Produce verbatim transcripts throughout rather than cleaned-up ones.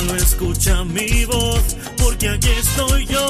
solo escucha mi voz, porque aquí estoy yo.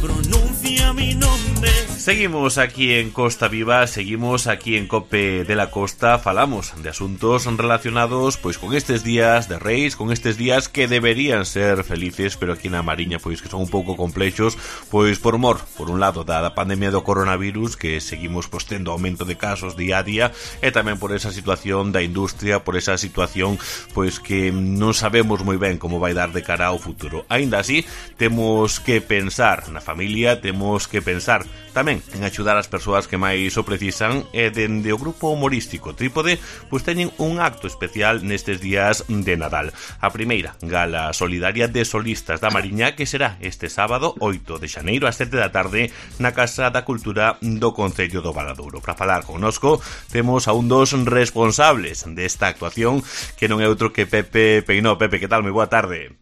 Pronuncia mi nombre. Seguimos aquí en Costa Viva, seguimos aquí en Cope de la Costa, falamos de asuntos relacionados pois con estes días de Reis, con estes días que deberían ser felices, pero aquí na Mariña pois que son un pouco complexos, pois por mor, por un lado da, da pandemia do coronavirus, que seguimos pois tendo aumento de casos día a día, e tamén por esa situación da industria, por esa situación pois que non sabemos moi ben como vai dar de cara ao futuro. Aínda así, temos que pensar na familia, temos que pensar tamén en axudar as persoas que máis o precisan, e dende o grupo humorístico Trípode pois teñen un acto especial nestes días de Nadal. A primeira gala solidaria de solistas da Mariña, que será este sábado oito de xaneiro ás sete da tarde na Casa da Cultura do Concello do Valadouro. Para falar connosco temos a un dos responsables desta actuación, que non é outro que Pepe Peinó. Pepe, que tal? Moi boa tarde.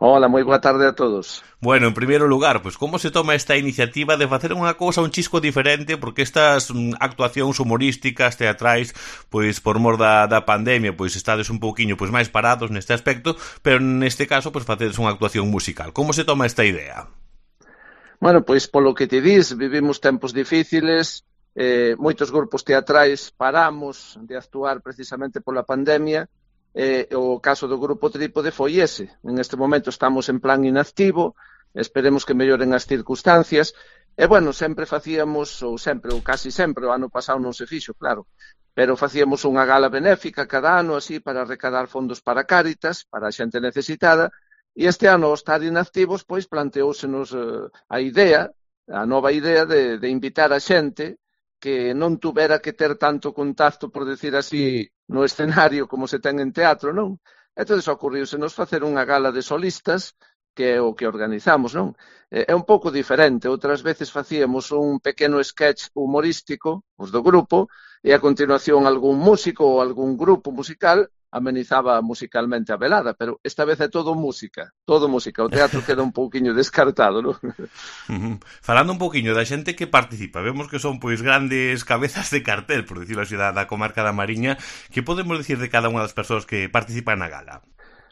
Hola, moi boa tarde a todos. Bueno, en primeiro lugar, pois como se toma esta iniciativa de facer unha cousa un chisco diferente, porque estas mm, actuacións humorísticas, teatrais, pois por mor da, da pandemia, pois estades un pouquiño pois máis parados neste aspecto, pero neste caso pois facedes unha actuación musical. Como se toma esta idea? Bueno, pois polo que te dis, vivimos tempos difíciles, eh, moitos grupos teatrais paramos de actuar precisamente pola pandemia. Eh, o caso do grupo Trípode foi ese. En este momento estamos en plan inactivo, esperemos que melloren as circunstancias, e bueno, sempre facíamos, ou sempre, ou casi sempre, o ano pasado non se fixo, claro, pero facíamos unha gala benéfica cada ano, así, para recadar fondos para Cáritas, para a xente necesitada, e este ano, ao estar inactivos, pois planteóusenos eh, a idea, a nova idea de, de invitar a xente que non tuvera que ter tanto contacto, por decir así, no escenario como se ten en teatro, non? Entón, ocurriusenos facer unha gala de solistas, que é o que organizamos, non? É un pouco diferente. Outras veces facíamos un pequeno sketch humorístico, os do grupo, e a continuación algún músico ou algún grupo musical amenizaba musicalmente a velada, pero esta vez é todo música, todo música. O teatro queda un pouquiño descartado, non? Uh-huh. Falando un pouquiño da xente que participa, vemos que son pois grandes cabezas de cartel, por decirlo así, da, da comarca da Mariña. Que podemos decir de cada unha das persoas que participan na gala?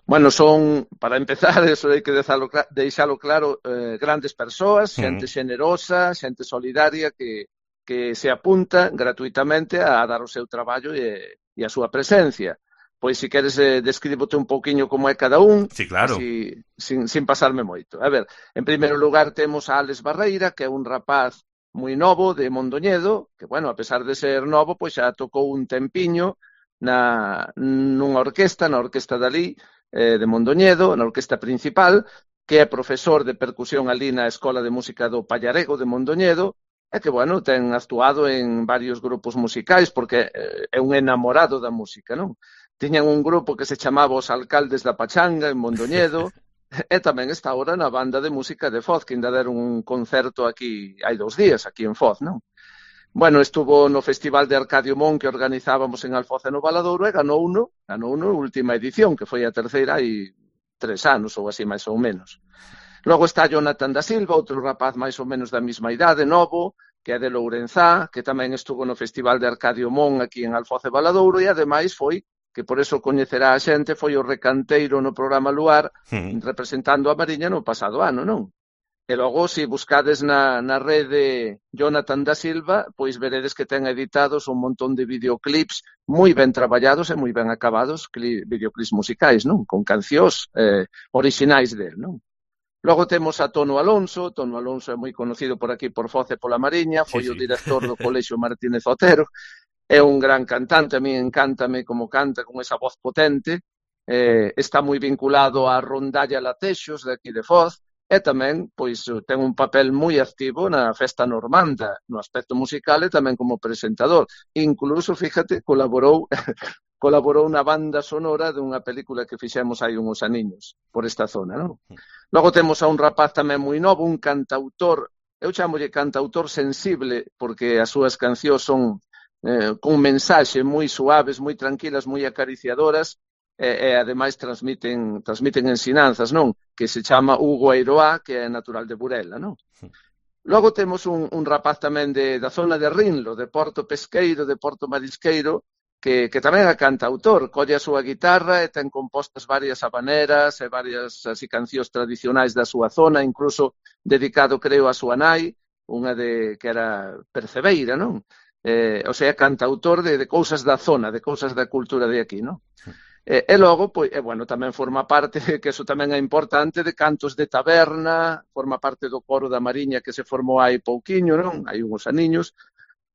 Bueno, son, para empezar, eso hai que deixalo claro, eh, grandes persoas, xente uh-huh. xenerosa, xente solidaria que, que se apunta gratuitamente a dar o seu traballo e, e a súa presencia. Pois, se queres, eh, descríbote un pouquiño como é cada un, sí, claro. así, sin, sin pasarme moito. A ver, en primeiro lugar temos a Alex Barreira, que é un rapaz moi novo de Mondoñedo, que, bueno, a pesar de ser novo, pois xa tocou un tempiño na, nunha orquesta, na orquesta dali, eh, de Mondoñedo, na orquesta principal, que é profesor de percusión ali na Escola de Música do Pallarego de Mondoñedo, e que, bueno, ten actuado en varios grupos musicais, porque eh, é un enamorado da música, non? Tiñan un grupo que se chamaba Os Alcaldes da Pachanga, en Mondoñedo, e tamén está ahora na banda de música de Foz, que ainda deron un concerto aquí, hai dous días, aquí en Foz, non? Bueno, estuvo no Festival de Arcadio Mon que organizábamos en Alfoz e no Valadouro, e ganou uno, ganou uno última edición, que foi a terceira hai tres anos, ou así máis ou menos. Logo está Jonathan da Silva, outro rapaz máis ou menos da mesma idade, novo, que é de Lourenzá, que tamén estuvo no Festival de Arcadio Mon aquí en Alfoz e Valadouro, e ademais foi, que por eso coñecerá a xente, foi o recanteiro no programa Luar, mm. representando a Mariña no pasado ano, non? E logo, se buscades na, na rede Jonathan da Silva, pois veredes que ten editados un montón de videoclips moi ben traballados e moi ben acabados, cli, videoclips musicais, non? Con cancións eh, orixinais del, non? Logo temos a Tono Alonso. Tono Alonso é moi conocido por aquí, por Foz e pola Mariña, foi sí, sí. o director do Colexio Martínez Otero. É un gran cantante, a mí encántame como canta, con esa voz potente, eh, está moi vinculado á Rondalla Latexos de aquí de Foz, e tamén pois ten un papel moi activo na Festa Normanda, no aspecto musical e tamén como presentador. Incluso, fíjate, colaborou colaborou na banda sonora dunha película que fixemos hai uns aniños por esta zona, non? Logo temos a un rapaz tamén moi novo, un cantautor, eu chamolle cantautor sensible, porque as súas cancións son Eh, con mensaxe moi suaves, moi tranquilas, moi acariciadoras, e, e ademais transmiten, transmiten ensinanzas, non? Que se chama Hugo Eiroá, que é natural de Burela, non? Logo temos un, un rapaz tamén de, da zona de Rinlo, de Porto Pesqueiro, de Porto Marisqueiro, que, que tamén é cantautor, colle a súa guitarra e ten compostas varias habaneras e varias así cancións tradicionais da súa zona, incluso dedicado, creo, a súa nai, unha de que era percebeira, non? Eh, o sea, cantautor de, de cousas da zona, de cousas da cultura de aquí, non? E, e logo, pois, e, bueno, tamén forma parte, que eso tamén é importante, de cantos de taberna, forma parte do coro da Mariña que se formou hai pouquiño, non? Hai uns aniños.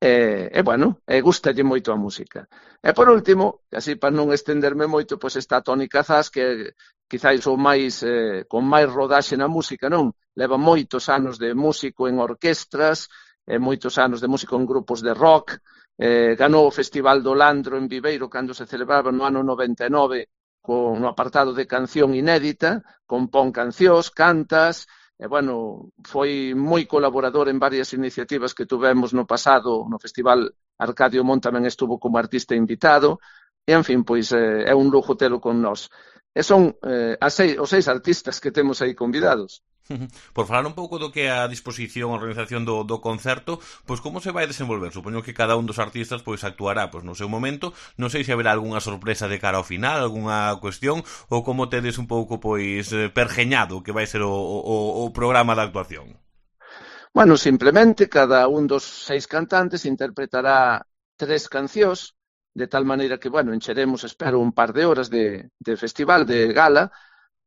E, e bueno, e gustalle moito a música. E por último, así para non estenderme moito, pois está Toni Cazás, que quizáis o máis eh, con máis rodaxe na música, non? Leva moitos anos de músico en orquestras, e moitos anos de músico en grupos de rock, eh, ganou o Festival do Landro en Viveiro cando se celebraba no ano noventa e nove con no apartado de canción inédita, compón cancións, cantas. E, bueno, foi moi colaborador en varias iniciativas que tuvemos no pasado, no Festival Arcadio Mon tamén estuvo como artista invitado, e, en fin, pois eh, é un lujo telo con nós. E son eh, as seis, os seis artistas que temos aí convidados. Por falar un pouco do que é a disposición a organización do, do concerto, pois como se vai desenvolver? Supoño que cada un dos artistas pois actuará pois no seu momento. Non sei se haberá algunha sorpresa de cara ao final, algunha cuestión, ou como tedes un pouco pois pergeñado que vai ser o, o, o programa da actuación. Bueno, simplemente cada un dos seis cantantes interpretará tres cancións, de tal maneira que, bueno, encheremos, espero, un par de horas de, de festival, de gala.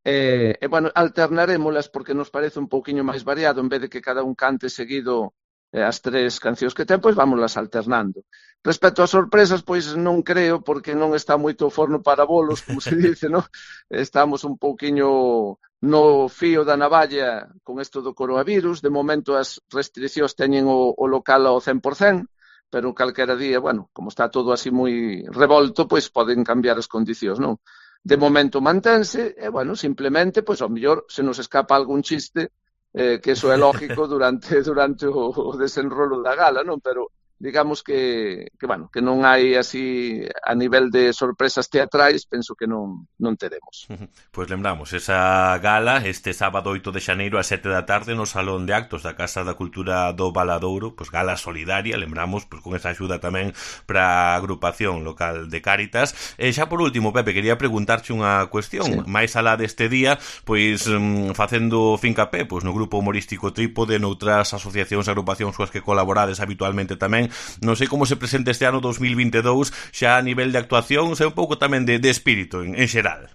E, e, bueno, alternarémolas porque nos parece un pouquiño máis variado, en vez de que cada un cante seguido eh, as tres cancións que ten, pois vámolas alternando. Respecto ás sorpresas, pois non creo, porque non está moito forno para bolos, como se dice, non? Estamos un pouquiño no fío da navalla con isto do coronavirus. De momento as restriccións teñen o, o local ao cen por cen, pero calquera día, bueno, como está todo así moi revolto, pois poden cambiar as condicións, non? De momento mantense, e, bueno, simplemente, pois, ao mellor, se nos escapa algún chiste, eh, que eso é lógico durante durante o, o desenrolo da gala, non? Pero, digamos que, que, bueno, que non hai así, a nivel de sorpresas teatrais, penso que non, non teremos. Pois lembramos, esa gala, este sábado oito de xaneiro a sete da tarde no Salón de Actos da Casa da Cultura do Valadouro, pois gala solidaria, lembramos, pois con esa axuda tamén para a agrupación local de Cáritas. E xa por último, Pepe, quería preguntarche unha cuestión, sí. Máis alá deste día, pois facendo fincapé, pois no grupo humorístico Trípode, noutras asociacións e agrupacións coas que colaborades habitualmente tamén. Non sei como se presenta este ano dos mil vinte e dous xa a nivel de actuación, sei un pouco tamén de, de espírito en, en xeral.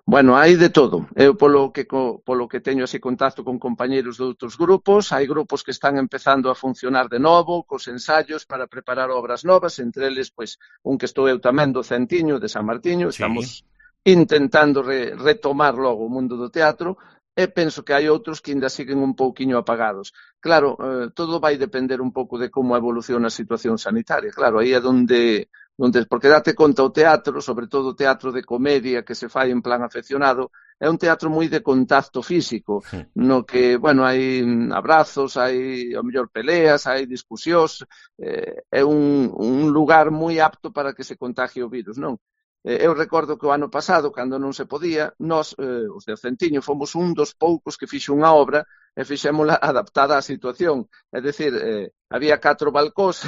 Bueno, hai de todo. Eu polo que polo que teño así contacto con compañeiros de outros grupos, hai grupos que están empezando a funcionar de novo, cos ensaios para preparar obras novas, entre eles, pois, un que estou eu tamén do Centiño, de San Martiño, sí. Estamos intentando re, retomar logo o mundo do teatro, e penso que hai outros que ainda siguen un pouquiño apagados. Claro, eh, todo vai depender un pouco de como evoluciona a situación sanitaria. Claro, aí é donde, donde porque date conta o teatro, sobre todo o teatro de comedia que se fai en plan afeccionado, é un teatro moi de contacto físico, sí. No que, bueno, hai abrazos, hai, ao mellor, peleas, hai discusións, eh, é un, un lugar moi apto para que se contagie o virus, non? Eu recordo que o ano pasado, cando non se podía, nós, eh, os de Centiño, fomos un dos poucos que fixo unha obra e fixémola adaptada á situación. É dicir, eh, había catro balcós,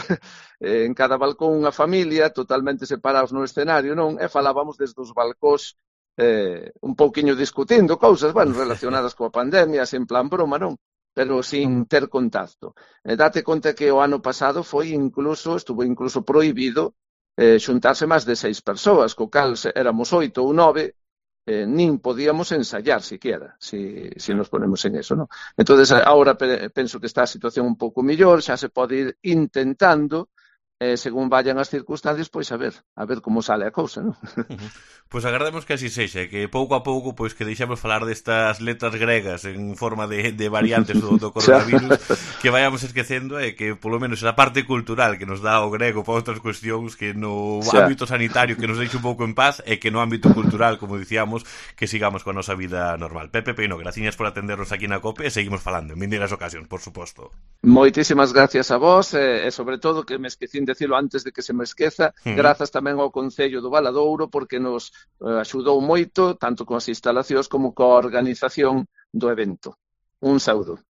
eh, en cada balcón unha familia, totalmente separados no escenario, non? E falábamos desde os balcós eh, un pouquiño discutindo cousas, bueno, relacionadas coa pandemia, en plan broma, non? Pero sin ter contacto. E date conta que o ano pasado foi incluso, estuvo incluso prohibido Eh, xuntarse máis de seis persoas, co cal éramos oito ou nove, eh, nin podíamos ensayar siquiera, si, si nos ponemos en eso, ¿no? Entonces, ahora penso que está a situación un pouco mellor, xa se pode ir intentando, eh, según vayan as circunstancias, pois a ver, a ver como sale a cousa, non? Pois agardemos que así sexa, que pouco a pouco pois que deixemos falar destas letras gregas en forma de, de variantes do, do coronavirus, que vayamos esquecendo e que polo menos a parte cultural que nos dá o grego para outras cuestións que no xa. Ámbito sanitario que nos deixe un pouco en paz e que no ámbito cultural, como dicíamos, que sigamos coa nosa vida normal. Pepe Peino, graciñas por atendernos aquí na COPE e seguimos falando en vindeiras ocasións, por suposto. Moitísimas gracias a vos e, e sobre todo que me esquecín decirlo antes de que se me esqueza, uh-huh. Grazas tamén ao Concello do Valadouro porque nos eh, axudou moito, tanto con as instalacións como coa organización do evento. Un saúdo.